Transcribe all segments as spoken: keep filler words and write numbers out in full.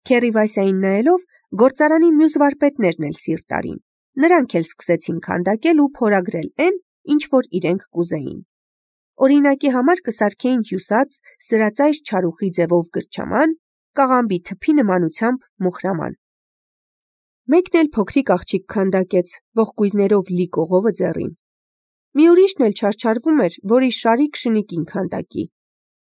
Քերի Վասյային նայելով, գործարանի մյուս վարպետներն էլ սիրտ արին. նրանք էլ սկսեցին քանդակել ու փորագրել այն, ինչ որ իրենք կուզեին։ Օրինակի համար կսարքեին հյուսած, սրածայր չարուխի ձևով գրչաման, կաղամբի թփի նմանությամբ մոխրաման։ Մեկն էլ փոքրիկ աղջիկ քանդակեց, ողկույզներով լի կողովը ձեռին։ Մի ուրիշն էլ չարչարվում էր, որ իր շարիկ շնիկին քանդակի։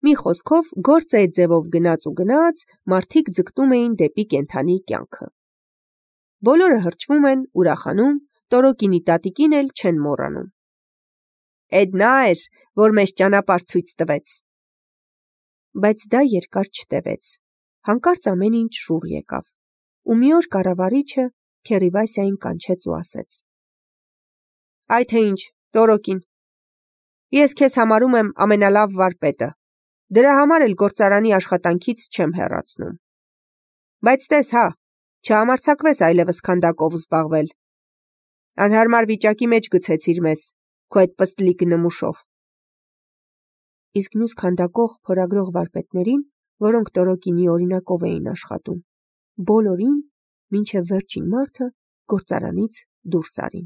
Մի խոսքով, գործը այդ ձևով գնաց ու գնաց, մարդիկ ձգտում էին դեպի կենդանի կյանքը։ Բոլորը հրճվում են, ուրախանում, Տորոկինի տատիկին էլ չեն մոռանում։ Էդ նա էր, որ մեզ ճանապարհ ցույց տվեց։ Բայց դա երկար չտևեց։ Հանկարծ ամեն ինչ շուռ եկավ։ Ու մի օր կառավարիչը Քերի Վասյային կանչեց ու ասեց. Այ թե ինչ, Տորոկին, ես քեզ համարում եմ ամենալավ վարպետը, դրա համար էլ գործարանի աշխատանքից չեմ հեռացնում։ Բայց տես հա, չհամարձակվես այլևս քանդակով զբաղվել։ Անհարմար վիճակի մեջ գցեցիր մեզ, քո այդ պստլիկ նմուշով։ Իսկ մյուս քանդակող փորագրող վարպետներին, որոնք Տորոկինի օրինակով էին աշխատում, բոլորին, մինչև վերջին մարդը, գործարանից դուրս արին։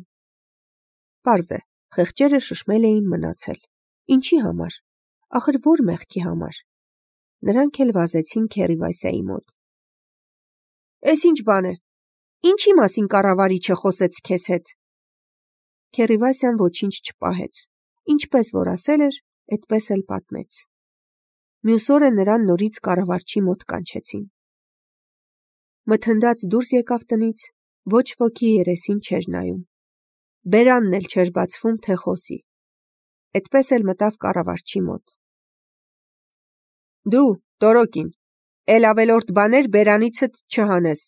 Պարզ է, խեղճերը շշմել էին մնացել։ Ինչի համար, ախր որ մեղքի համար։ Նրանք էլ վազեցին Քերի Վասյայի մոտ։ Էս ինչ բան է, ինչի մասին կառավարիչը խոսեց քեզ հետ։ Քերի Վասյան ոչինչ չպահեց, ինչպես որ ասել էր, այդպես էլ պատմեց։ Մյուս օրը նրան նորից կառավարչի մոտ կանչեցին։ Մթնդած դուրս եկավ տնից, ոչ ոքի երեսին չէր նայում։ Բերանն էլ չէր բացվում, թե խոսի։ Այդպես էլ մտավ կառավարչի մոտ։ Դու, Տորոկին, էլ ավելորդ բաներ բերանիցդ չհանես։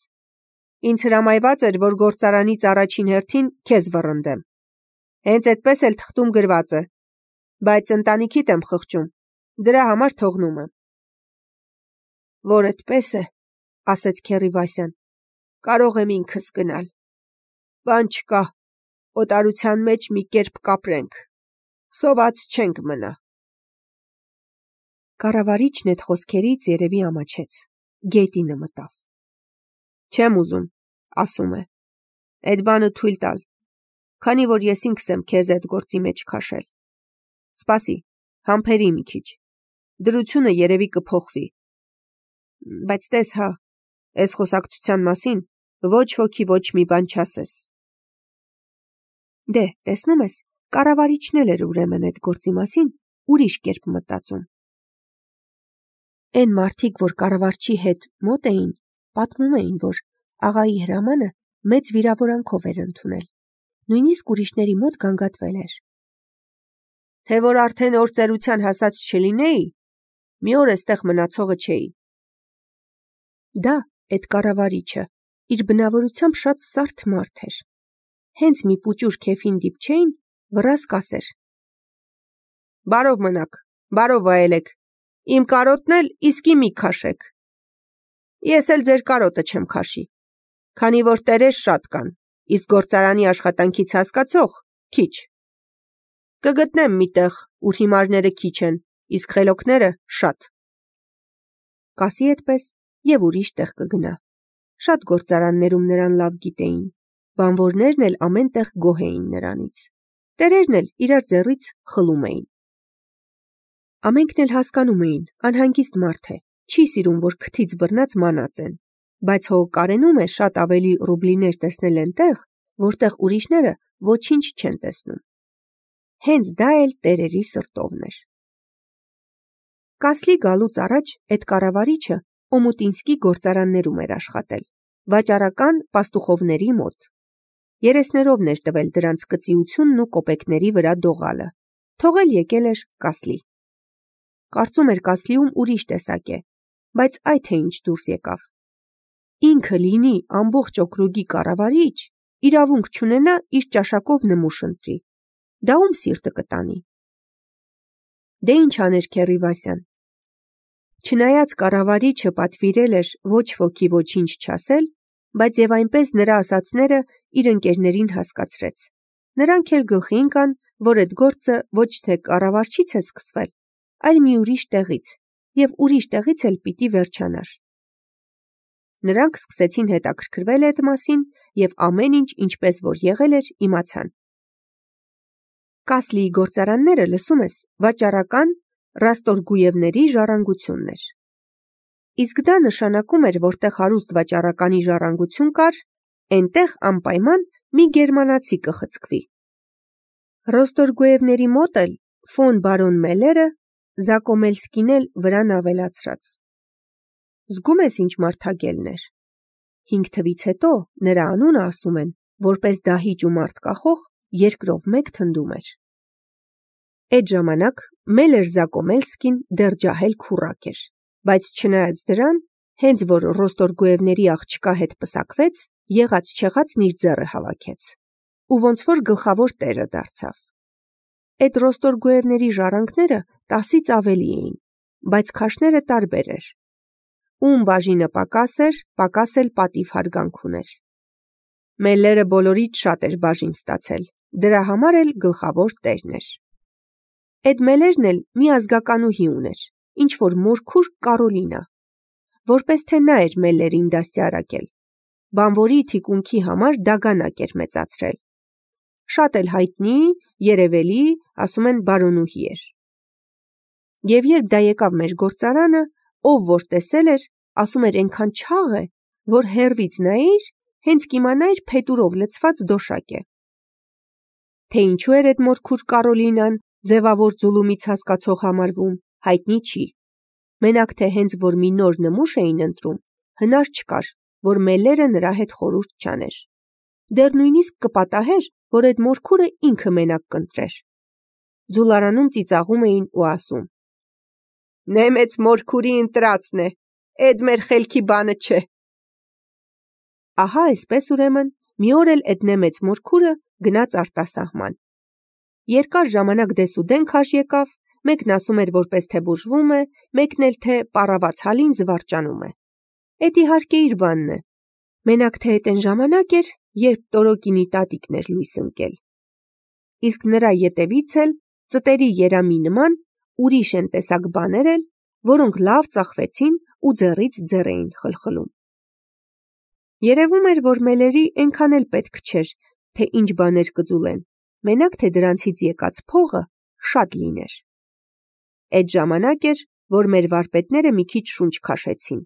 Ինձ հրամայված էր, որ գործարանից առաջին հերթին քեզ վռնդեմ։ Հենց այդպես էլ թղթում գրված է, բայց ընտանիքիդ եմ խղճում, դրա համար թողնում եմ։ Որ այդպես է, ասեց Քերի Վասյան, կարող եմ ինքս գնալ։ Բան չկա, օտարության մեջ մի կերպ կապրենք, սոված չենք մնա։ Կառավարիչն այդ խոսքերից երևի ամաչեց, գետինը մտավ։ Չեմ ուզում, ասում է, այդ բանը թույլ տալ, քանի որ ես ինքս եմ քեզ այդ գործի մեջ քաշել։ Սպասի, համբերի մի քիչ, դրությունը երևի կփոխվի։ Բայց տես հա, այս խոսակցության մասին ոչ ոքի ոչ մի բան չասես։ Դե, տեսնում ես, կառավարիչն էլ էր ուրեմն այդ գործի մասին ուրիշ կերպ մտածում։ Այն մարդիկ, որ կառավարչի հետ մոտ էին, պատմում էին, որ աղայի հրամանը մեծ վիրավորանքով էր ընդունել, նույնիսկ ուրիշների մոտ գանգատվել էր։ Թե որ արդեն օր ծերության հասած չլինեի, մի օր էստեղ մնացողը չէի։ Դա, այդ կառավարիչը, իր բնավորությամբ շատ սարդ մարդ էր։ Հենց մի պուճուր քեֆին դիպչեին, վռազք ասեր. Բարով մնաք, բարով վայելեք, իմ կարոտն էլ իսկի մի քաշեք։ Ես էլ ձեր կարոտը չեմ քաշի, քանի որ տերեր շատ կան, իսկ գործարանի աշխատանքից հասկացող քիչ։ Կգտնեմ մի տեղ, ուր հիմարները քիչ են, իսկ խելոքները շատ։ Կասի այդպես և ուրիշ տեղ կգնա։ Շատ գործարաններում նրան լավ գիտեին, բանվորներն էլ ամեն տեղ գոհ էին նրանից, տերերն էլ իրար ձեռից խլում էին։ Ամենքն էլ հասկանում էին, անհանգիստ մարդ է, չի սիրում, որ քթից բռնած մանած են, բայց հո կարենում է շատ ավելի ռուբլիներ տեսնել այնտեղ, որտեղ ուրիշները ոչինչ չեն տեսնում։ Հենց դա էլ տերերի սրտովն էր։ Կասլի գալուց առաջ այդ կառավարիչը Օմուտինսկի գործարաններում էր աշխատել, վաճառական պաստուխովների մոտ։ Երեսներովն էր տվել դրանց կծիությունն ու կոպեկների վրա դողալը, թողել եկել էր Կասլի։ Կարծում էր Կասլիում ուրիշ տեսակ է, բայց այ թե ինչ դուրս եկավ։ Ինքը լինի ամբողջ օկրուգի կառավարիչ, իրավունք չունենա իր ճաշակով նմուշ ընտրի։ Դա ում սիրտը կտանի։ Դե ինչ աներ Քերի Վասյան։ Չնայած կառավարիչը պատվիրել էր ոչ ոքի ոչինչ չասել, բայց եւ այնպես նրա ասածները իր ընկերներին հասկացրեց։ Նրանք էլ գլխի ընկան, որ այդ գործը ոչ թե կառավարչից է սկսվել, այլ մի ուրիշ տեղից, եւ ուրիշ տեղից էլ պիտի վերջանար։ Նրանք սկսեցին հետաքրքրվել այդ մասին և ամեն ինչ ինչպես որ եղել էր իմացան։ Կասլիի գործարանները, լսում ես, վաճառական Ռաստորգուևների ժառանգությունն էր։ Իսկ դա նշանակում էր, որտեղ հարուստ վաճառականի ժառանգություն կար, այնտեղ անպայման մի գերմանացի կխցկվի։ Ռոստորգուևների մոտ էլ ֆոն բարոն Մելերը Զակոմելսկին էլ վրան ավելացրած։ Զգում ես ինչ մարդագելն էր։ Հինգ թվից հետո նրա անունը ասում են, որպես դահիճ ու մարդ կախող երկրով մեկ թնդում էր։ Այդ ժամանակ Մելեր Զակոմելսկին դեռ ջահել քուռակ էր, բայց չնայած դրան, հենց որ Ռոստորգուևների աղջկա հետ պսակվեց, եղած չեղածն իր ձեռը հավաքեց ու ոնց որ գլխավոր տերը դարձավ։ Այդ Ռոստորգուևների ժառանգները տասից ավելի էին, բայց քաշները տարբեր էր։ Ում բաժինը պակաս էր, պակաս էլ պատիվ հարգանք ուներ։ Մելլերը բոլորից շատ էր բաժին ստացել, դրա համար էլ գլխավոր տերն էր։ Այդ Մելերն էլ մի ազգականուհի ուներ, ինչ որ մորքուր Կարոլինա, որպես թե նա էր Մելլերին դաստիարակել, բանվորի թիկունքի համար դագանակ էր մեծացրել։ Շատ էլ հայտնի, երևելի, ասում են բարոնուհի էր։ Եվ երբ դա եկավ մեր գործարանը, ով որ տեսել էր, ասում էր այնքան չաղ է, որ հեռվից նայիր, հենց կիմանայիր փետուրով լցված դոշակ է։ Թե ինչու էր այդ մորքուր Կարոլինան ձևավոր ձուլումից հասկացող համարվում, հայտնի չի։ Մենակ թե հենց որ մի նոր նմուշ էին ընտրում, հնար չկար, որ Մելլերը նրա հետ խորհուրդ չաներ։ Դեռ նույնիսկ կպատահեր, որ այդ մորքուրը ինքը մենակ կընտրեր։ Ձուլարանում ծիծաղում էին ու ասում. «Նեմեց մորքուրի ընտրածն է, էդ մեր խելքի բանը չէ»։ Ահա այսպես ուրեմն մի օր էլ այդ նեմեց մորքուրը գնաց արտասահման։ Երկար ժամանակ դեսուդեն քաշ եկավ, մեկն ասում էր որպես թե բուժվում է, մեկն էլ թե պառավաց հալին զվարճանում է։ Էդ իհարկե իր բանն է։ Մենակ թե այդ այն ժամանակ էր, երբ Տորոկինի տատիկն էր լույս ընկել։ Իսկ նրա ետևից էլ ծտերի երամի նման ուրիշ են տեսակ բաներ էլ, որոնք լավ ծախվեցին ու ձեռից ձեռ էին խլխլում։ Երևում էր, որ Մելերի այնքան էլ պետք չէր, թե ինչ բաներ կձուլեն, մենակ թե դրանցից եկած փողը շատ լիներ։ Այդ ժամանակ էր, որ մեր վարպետները մի քիչ շունչ քաշեցին,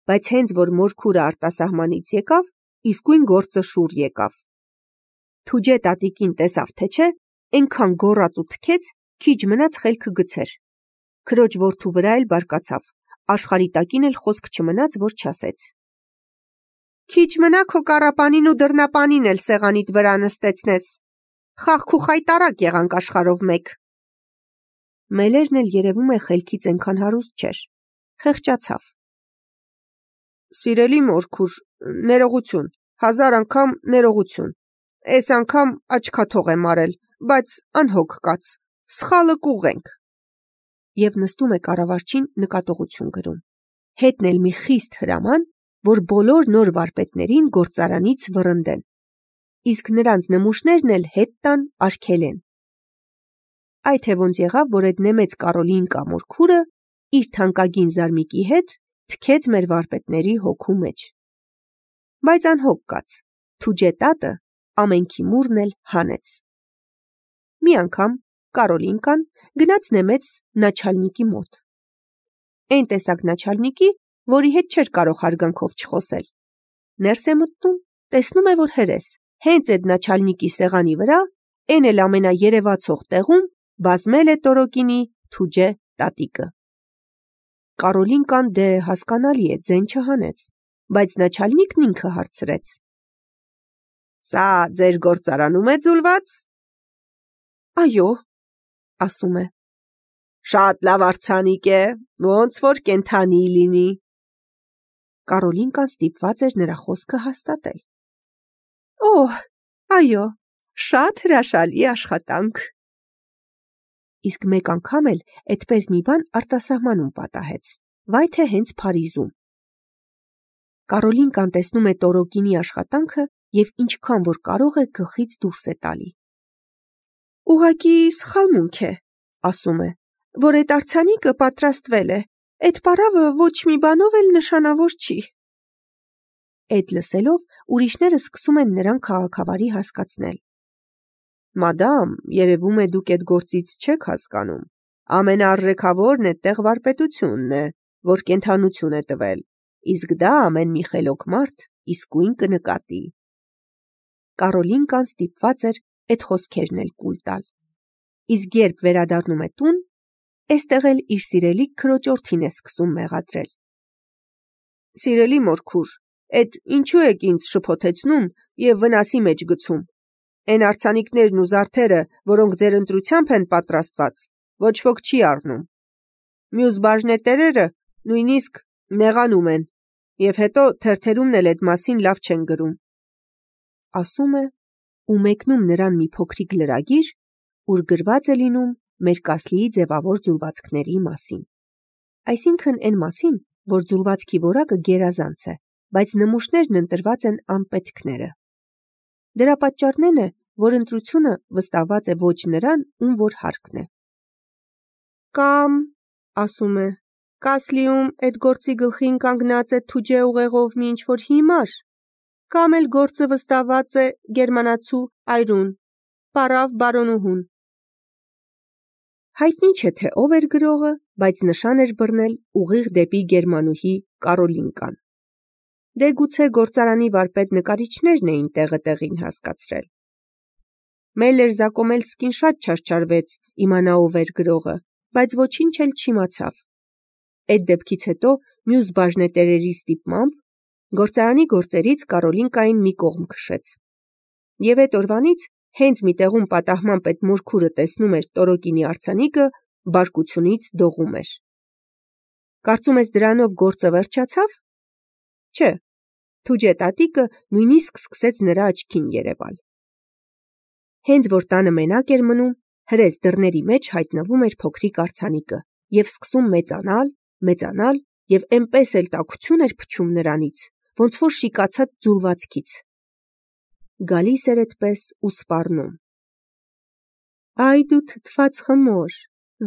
բայց հենց որ մորքուրը արտասահմանից եկավ, իսկույն գործը շուռ եկավ։ Թուջե տատիկին տեսավ թե չէ, այնքան գոռաց ու թքեց, քիչ մնաց խելքը գցեր։ Քրոջ որդու վրա էլ բարկացավ, աշխարհի տակին էլ խոսք չմնաց, որ չասեց. Քիչ մնա քո կառապանին ու դռնապանին էլ սեղանիդ վրա նստեցնես։ Խաղք ու խայտարակ եղանք աշխարհով մեկ։ Մելերն էլ երևում է խելքից այնքան հարուստ չէր, խեղճացավ։ Սիրելի մորքուր, ներողություն, հազար անգամ ներողություն։ Այս անգամ աչքաթող եմ արել, բայց անհոգ կաց, սխալը կուղենք։ Եվ նստում է կառավարչին նկատողություն գրում։ Հետն էլ մի խիստ հրաման, որ բոլոր նոր վարպետներին գործարանից վռնդեն, իսկ նրանց նմուշներն էլ հետ տան արգելեն։ Այ թե ոնց եղավ, որ այդ նեմեց Կարոլին կամ մորքուրը իր թանկագին զարմիկի հետ թքեց մեր վարպետների հոգու մեջ։ Բայց անհոգ կաց, Թուջե տատը ամենքի մուրն էլ հանեց։ Մի անգամ Կարոլինկան գնաց նեմեց նաչալնիկի մոտ։ Այն տեսակ նաչալնիկի, որի հետ չէր կարող հարգանքով չխոսել։ Ներս է մտնում, տեսնում է, որ հրես, հենց այդ նաչալնիկի սեղանի վրա, այն էլ ամենաերևացող տեղում բազմել է Տորոկինի Թուջե տատիկը։ Կարոլինկան դե հասկանալի է, ձեն չհանեց, բայց նաչալնիկն ինքը հարցրեց. Սա ձեր գործարանում է ձուլված։ Այո, ասում է։ Շատ լավ արձանիկ է, ոնց որ կենդանի լինի։ Կարոլինկան ստիպված էր նրա խոսքը հաստատել։ Օհ, այո, շատ հրաշալի աշխատանք։ Իսկ մեկ անգամ էլ այդպես մի բան արտասահմանում պատահեց, վայ թե հենց Փարիզում։ Կարոլինկան տեսնում է Տորոկինի աշխատանքը և ինչքան որ կարող է գլխից դուրս է տալի։ Ուղղակի սխալմունք է, ասում է, որ այդ արձանիկը պատրաստվել է, այդ պարավը ոչ մի բանով էլ նշանավոր չի։ Էդ լսելով ուրիշները սկսում են նրան քաղաքավարի հասկացնել։ Մադամ, երևում է դուք այդ գործից չեք հասկանում։ Ամենաարժեքավորն այդտեղ վարպետությունն է, որ կենդանություն է տվել, իսկ դա ամեն մի խելոք մարդ իսկույն կնկատի։ Կարոլինկան ստիպված էր այդ խոսքերն էլ կուլ տալ։ Իսկ երբ վերադառնում է տուն, էստեղ էլ իր սիրելի քրոջորդին է սկսում մեղադրել։ Սիրելի մորքուր, էդ ինչու եք ինձ շփոթեցնում եւ վնասի մեջ գցում։ Այն արձանիկներն ու զարդերը, որոնք ձեր ընտրությամբ են պատրաստված, ոչ ոք չի առնում։ Մյուս բաժնետերերը նույնիսկ նեղանում են, եւ հետո թերթերումն էլ այդ մասին լավ չեն գրում։ Ասում է ու մեկնում նրան մի փոքրիկ լրագիր, ուր գրված է լինում մեր Կասլիի ձևավոր ձուլվածքների մասին։ Այսինքն այն մասին, որ ձուլվածքի որակը գերազանց է, բայց նմուշներն ընտրված են անպետքները։ Դրա պատճառն է, որ ընտրությունը վստահված է ոչ նրան, ում որ հարկն է։ Կամ, ասում է, Կասլիում այդ գործի գլխին կանգնած է թուջե ուղեղով մի ինչ-որ հիմար, կամ էլ գործը վստահված է գերմանացու այրուն, պարավ բարոնուհուն։ Հայտնի չէ, թե ով էր գրողը, բայց նշան էր բռնել ուղիղ դեպի գերմանուհի Կարոլինկան։ Դե գուցե գործարանի վարպետ նկարիչներն էին տեղը տեղին հասկացրել։ Մելլեր Զակոմելսկին շատ չարչարվեց իմանա ով էր գրողը, բայց ոչինչ էլ չիմացավ։ Այդ դեպքից հետո մյուս բաժնետերերի ստիպմամբ գործարանի գործերից Կարոլինկային մի կողմ քշեց։ Եվ այդ օրվանից հենց մի տեղում պատահմամբ այդ մորքուրը տեսնում էր Տորոկինի արձանիկը, բարկությունից դողում էր։ Կարծում ես դրանով գործը վերջացավ։ Չէ, թուջե տատիկը նույնիսկ սկսեց նրա աչքին երևալ։ Հենց որ տանը մենակ էր մնում, հրես դռների մեջ հայտնվում էր փոքրիկ արձանիկը եւ սկսում մեծանալ, մեծանալ եւ այնպես էլ տաքություն էր փչում նրանից, ոնց որ շիկացած ձուլվածքից։ Գալիս էր այդպես ու սպառնում։ Այ դու թթված խմոր,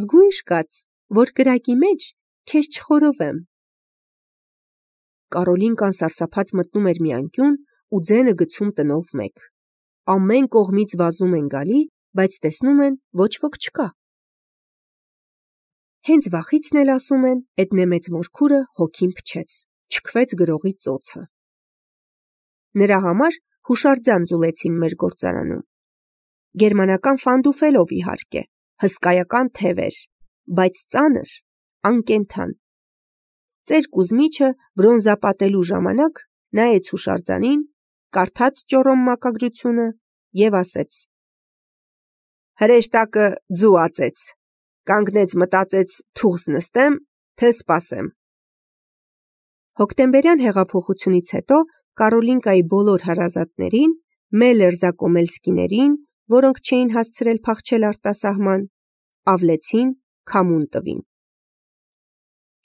զգույշ կաց, որ կրակի մեջ քեզ չխորովեմ։ Կարոլինկան սարսափած մտնում էր մի անկյուն ու ձենը գցում տնով մեկ։ Ամեն կողմից վազում են գալի, բայց տեսնում են ոչ ոք չկա։ Հենց վախիցն էլ ասում են, այդ նեմեց մորքուրը հոգին փչեց, չքվեց գրողի ծոցը։ Նրա համար հուշարձան ձուլեցին մեր գործարանում։ Գերմանական ֆանդուֆելով իհարկե, հսկայական թևեր, բայց ծանր, անկենդան։ Ծեր Կուզմիչը բրոնզապատելու ժամանակ նայեց հուշարձանին, կարդաց ճոռոմ մակագրությունը եւ ասեց. Հրեշտակը ձու ածեց, կանգնեց մտածեց թուղս նստեմ, թե սպասեմ։ Հոկտեմբերյան հեղափոխությունից հետո Կարոլինկայի բոլոր հարազատներին, Մելլեր Զակոմելսկիներին, որոնք չէին հասցրել փախչել արտասահման, ավլեցին, քամուն տվին։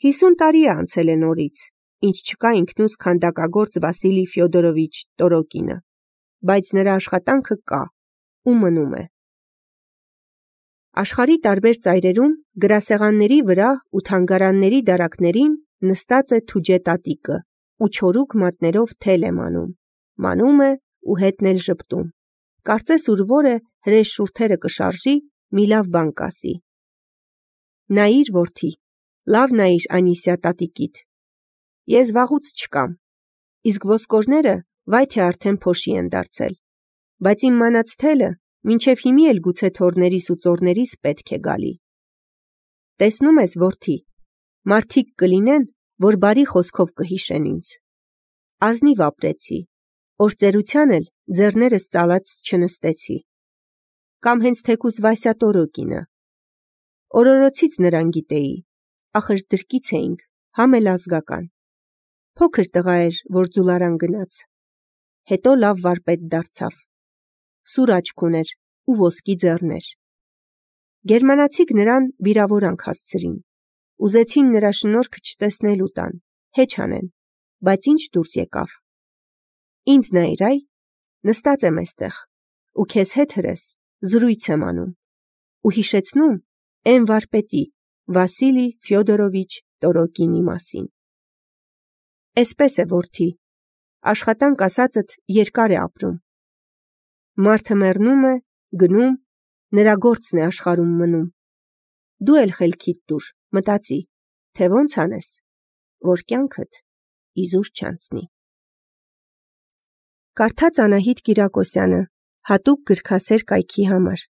Հիսուն տարի է անցել է նորից, ինչ չկա ինքնուց քանդակագործ Վասիլի Ֆյոդորովիչ Տորոկինը, բայց նրա աշխատանքը կա ու մնում է։ Աշխարհի տարբեր ծայրերում գրասեղանների վրա ու թանգարանների դարակներին նստած է թուջե տատիկը ու չորուկ մատներով թել է մանում, մանում է ու հետն էլ ժպտում։ Կարծես ուր որ է հրեշ շուրթերը կշարժի, մի լավ բան կասի։ Նայիր որդի, լավ նայիր Անիսիա տատիկիդ։ Ես վաղուց չկամ, իսկ ոսկորները վայ թե արդեն փոշի են դարձել, բայց իմ մանած թելը մինչև հիմի էլ գուցե թորներիս ու ծորներիս պետք է գալի։ Տեսնում ես որդի, մարդիկ կլինեն, որ բարի խոսքով կհիշեն ինձ։ Ազնիվ ապրեցի, օրծերության էլ ձեռներս ծալած չնստեցի։ Կամ հենց թեկուզ Վասյա Տորոկինը։ Օրորոցից նրան գիտեի, ախր դրկից էինք, համ էլ ազգական։ Փոքր տղա էր, որ ձուլարան գնաց։ Հետո լավ վարպետ դարձավ։ Սուր աչք ուներ ու ոսկի ձեռներ։ Գերմանացիք նրան վիրավորանք հասցրին։ Ուզեցին նրա շնորհքը չտեսնելու տան, հեչ անեն, բայց ինչ դուրս եկավ։ Ինձ նայիր այ, նստած եմ էստեղ, ու քեզ հետ հրես զրույց եմ անում, ու հիշեցնում էն վարպետի Վասիլի Ֆյոդորովիչ Տորոկինի մասին։ Էսպես է որդի, Աշխատանք ասածդ երկար է ապրում։ Մարդը մեռնում է, գնում, նրա գործն է աշխարհում մնում։ Դու էլ խելքիդ տուր, մտածի, թե ոնց անես, որ կյանքդ իզուր չանցնի։ Կարդաց Անահիտ Կիրակոսյանը հատուկ գրքասեր կայքի համար։